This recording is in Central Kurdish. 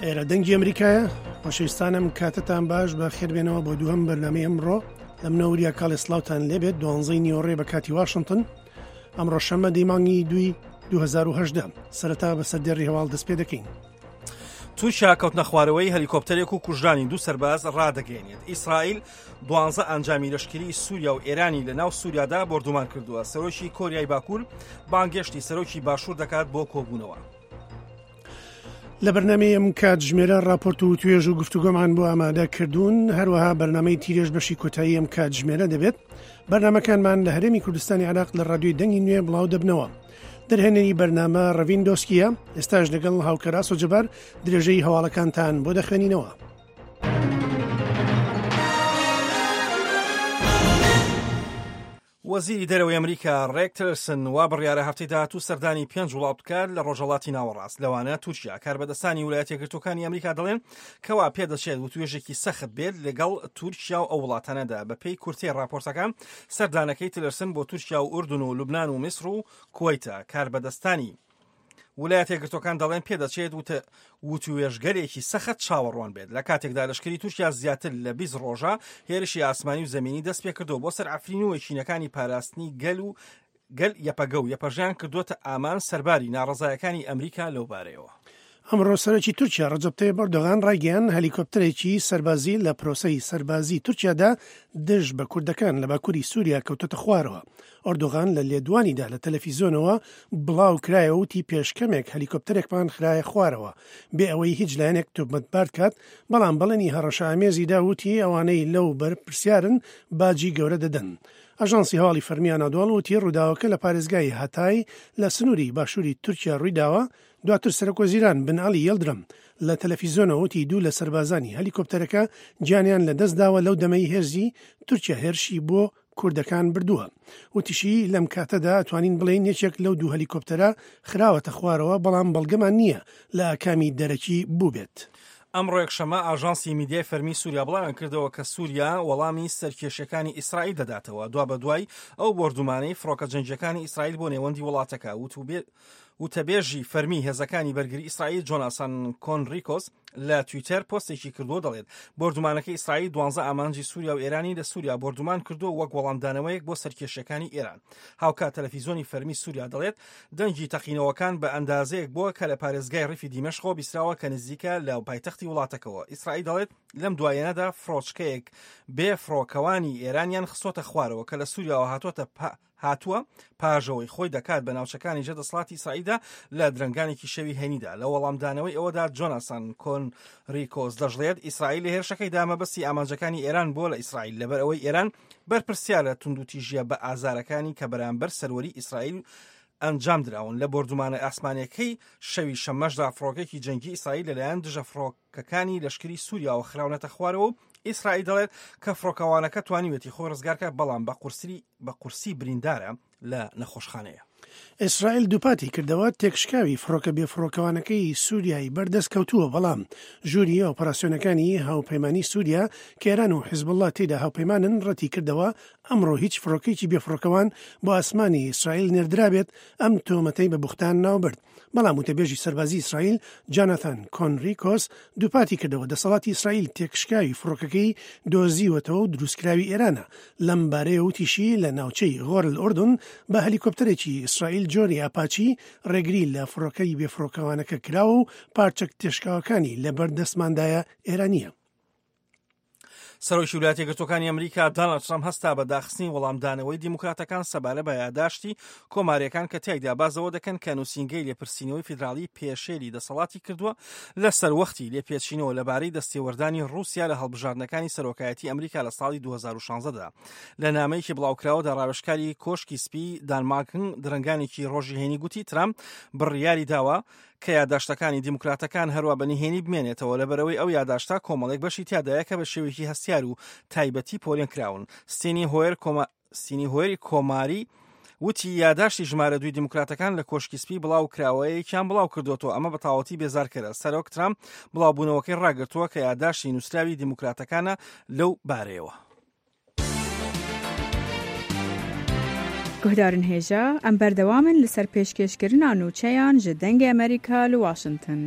ئێرە دەنگی ئەمریکایە خۆشەویستانم کاتتان باش بە خێربێنەوە بۆ دووەم بەرنامەی ئەمڕۆ لە منەوەریا کاڵێ سلااوان لێبێت دوانزەی نیۆڕێ بە کاتی واشنگتن ئەمڕۆ شەممە دەی مانگی دووی 2010 سەرەتا بە سەردێڕی هەواڵ دەست پێ دەکەین. تورکیا کەوتنەخوارەوەی هەلیکۆپتەرێک و کوژرانی دوو سەرباز ڕادەگەیەنێت. ئیسرائیل دوانزە ئەنجامی لەشکری سووریا و ئێرانی لە ناو سووریادا بۆردومان کردووە. سەرۆکی کۆریای باکوور بانگێشتی سەرۆکی باشوور دەکات بۆ کۆبوونەوە. لە بەرنامەی ئەم کاتژمێرە راپۆرت و توێژ و گفتوگۆمان بۆ ئامادە کردوون هەروەها بەرنامەی تیرێژ بەشی کۆتایی ئەم کاتژمێرە دەبێت بەرنامەکانمان لە هەرێمی کوردستانی عراق لە رادیۆی دەنگی نوێ بڵاو دەبنەوە دەرهێنەری بەرنامە ڕەڤین دۆسکیە ئێستاش لەگەڵ هاوکەر ئاسۆ جەبار درێژەی هەواڵەکانتان بۆ دەخوێنینەوە. وەزیری دەرەوەی ئەمریکا ڕێک تلرسن وا بڕیارە هەفتەی داهاتوو سەردانی پێنج وڵات بکات لە ڕۆژهەڵاتی ناوەڕاست لەوانە تورکیا کاربەدەستانی ویلایەتە یەکگرتووەکانی ئەمریکا دەڵێن کەوا پێدەچێت وتوێژێکی سەخت بێت لەگەڵ تورکیا و ئەو وڵاتانەدا بەپێی کورتەی ڕاپۆرتەکان سەردانەکەی تلرسن بۆ تورکیا و ئوردن و لوبناان و میسر و کوەیتە کاربەدەستانی ولایەتە یەکگرتووەکان دەڵێن پێدەچێت وتە وتوێژگەلێکی سەخت چاوەڕوان بێت لە کاتێکدا لەشکری تورکیا زیاتر لە 20 ڕۆژە هێرشی ئاسمانی و زەمینی دەست پێکردەوە بۆ سەر عەفرین و یەکینەکانی پاراستنی گەل و گەل یەپەگە و یەپەژەیان کردووەتە ئامان سەرباری ناڕەزایەکانی ئەمریکا لەو بارەیەوە. ئەمڕۆ سەرۆکی تورکیا ڕەجەب تەیب ئەردۆغان ڕایگەیاند هەلیکۆپتەرێکی سەربازی لە پرۆسەی سەربازی تورکیادا دژ بە کوردەکان لە باکوری سوریا کەوتۆتە خوارەوە. ئەردۆغان لە لێدوانیدا لە تەلەفیزۆنەوە بڵاو کرایەوە وتی پێش کەمێک هەلیکۆپتەرێکمان خرایە خوارەوە بێ ئەوەی هیچ لایەنێک تۆمەتبار کات، بەڵام بەڵێنی هەڕەشەئامێزی دا وتی ئەوانەی لەو بەرپرسیارن باجی گەورە دەدەن. ئاژانسی هەواڵی فەرمی ئانادۆڵ وتی ڕووداوەکە لە پارێزگای هاتای لە سنووری باشووری تورکیا ڕوویداوە، دواتر سەرۆکوەزیران بن عەلی یڵدرم لە تەلەفیزۆنەوە وتی دوو لە سەربازانی هەلیکۆپتەرەکە گیانیان لەدەستداوە لەو دەمەی هێزی تورکیا هێرشی بۆ کوردەکان بردووە. وتیشی، لەم کاتەدا ئەتوانین بڵێین یەکێک لەو دوو هەلیکۆپتەرە خراوەتە خوارەوە، بەڵام بەڵگەمان نییە لە ئاکامی دەرەکی بووبێت. ئەمڕۆ یەکشەممە ئاژانسی میدیای فەرمی سوریا بڵاویان کردەوە کە سوریا وەڵامی سەرکێشیەکانی ئیسرائیل دەداتەوە دوابەدوای ئەو بۆردومانەی فڕۆکە جەنگیەکانی ئیسرائیل بۆ نێوەندی وڵاتەکە وتەبێژی فەرمی هێزەکانی بەرگری ئیسرائیل جۆناسان کۆنریکۆس لە تویتەر پۆستێکی کردووە دەڵێت بۆردومانەکەی ئیسرائیل دوانزە ئامانجی سووریا و ئێرانی لە سووریا بۆردومان کردووە وەک وەڵامدانەوەیەک بۆ سەرکێشیەکانی ئێران هاوکات تەلەفیزۆنی فەرمی سووریا دەڵێت دەنگی تەقینەوەکان بە ئەندازەیەک بووە کە لە پارێزگای ڕیفی دیمەشقەوە بیستراوە کە نزیکە لە پایتەختی وڵاتەکەوە ئیسرائیل دەڵێت لەم دوایەنەدا فڕۆچکەیەک بێ فڕۆکەوانی ئێرانیان خستۆتە خوارەوە کە لە سووریاوە هاتووەتە هاتووە پاژەوەی خۆی دەکات بە ناوچەکانی ژێر دەسەڵاتی ئیسرائیلدا لە درەنگانێکی شەوی هەینیدا. لە وەڵامدانەوەی ئەوەدا جۆناسان کۆنریکۆس دەشڵێت، ئیسرائیل لە هێرشەکەیدا مەبەستی ئامانجەکانی ئێران بووە لە ئیسرائیل، لەبەر ئەوەی ئێران بەرپرسیارە لە توندوتیژییە بە ئازارەکانی کە بەرامبەر سەروەری ئیسرائیل ئەنجام دراون. لە بۆردومانە ئاسمانییەکەی شەوی شەممەشدا فڕۆکەیەکی جەنگی ئیسرائیل لەلایەن دژە فڕۆکەکانی لەشکری سووریاوە خراونەتە خوارەوە و ئیسرائیل دەڵێت کە فڕۆکەوانەکە توانیوێتی خۆی ڕزگارکات بەڵام بە قورسری بە قورسی بریندارە لە نەخۆشخانەیە. ئیسرائیل دووپاتی کردەوە، تێکشکاوی فڕۆکە بێفڕۆکەوانەکەی سووریای بەردەست کەوتووە، بەڵام ژووری ئۆپەراسیۆنەکانی هاوپەیمانی سووریا کە ئێران و حیزبوڵڵا تێیدا هاوپەیمانن ڕەتی کردەوە ئەمڕۆ هیچ فڕۆکەیەکی بێفڕۆکەوان بۆ ئاسمانی ئیسرائیل نێردرابێت، ئەم تۆمەتەی بە بوختان ناوبرد. بەڵام وتەبێژی سەربازی ئیسرائیل جاناثان کۆنریکۆس دووپاتی کردەوە دەسەڵاتی ئیسرائیل تێکشکاوی فڕۆکەکەی دۆزیوەتەوە و دروستکراوی ئێرانە، لەم بارەیەوە وتیشی لە ناوچەی غۆر الاردن بە هەلیکۆپتەرێکی ئیسرائیل جۆری ئاپاچی ڕێگری لە فڕۆکەی بێفڕۆکەوانەکە کراوە و پارچە تێشکاوەکانی لەبەردەستماندایە ئێرانییە. سەرۆکی ویلایەتە یەکگرتووەکانی ئەمریکا داناڵد ترەمپ هەستا بە داخستنی وەڵامدانەوەی دیموکراتەکان سەبارە بە یاداشتی کۆمارییەکان کە تیایدا باس لەوە دەکەن کە نووسینگەی لێپرسینەوەی فیدراڵی پێشێلی دەسەڵاتی کردووە لە سەروەختی لێپێچینەوە لەبارەی دەستێوەردانی ڕووسیا لە هەڵبژاردنەکانی سەرۆکایەتی ئەمریکا لە ساڵی 2016 دا. لە نامەیەکی بڵاوکراوەدا ڕاوێژکاری کۆشکی سپی دان ماکن درەنگانێکی ڕۆژی هەینی گوتی ترامپ بڕیاری داوە کە یاداشتەکانی دیموکراتەکان هەروا بە نهێنی بمێنێتەوە لەبەرئەوەی ئەو یاداشتە کۆمەڵێک بەشی تیادایە کە بە شێوەیەکی هەستیار و تایبەتی پۆلێن کراون. ستینی هۆیەر کۆما ستینی هۆیەری کۆماری وتی یاداشتی ژمارە دووی دیموکراتەکان لە کۆشکی سپی بڵاو کراوەیەکیان بڵاو کردوەوە ئەمە بە تەواوەتی بێزارکەرە سەرۆک ترامپ بڵاوبوونەوەکەی ڕاگرتووە کە یاداشتی نووسراوی دیموکراتەکانە لەو بارەیەوە. Guhdarên hêja, em berdewam in li ser pêşkêşkirina nûçeyan ji Dengê Amerîka li Washington.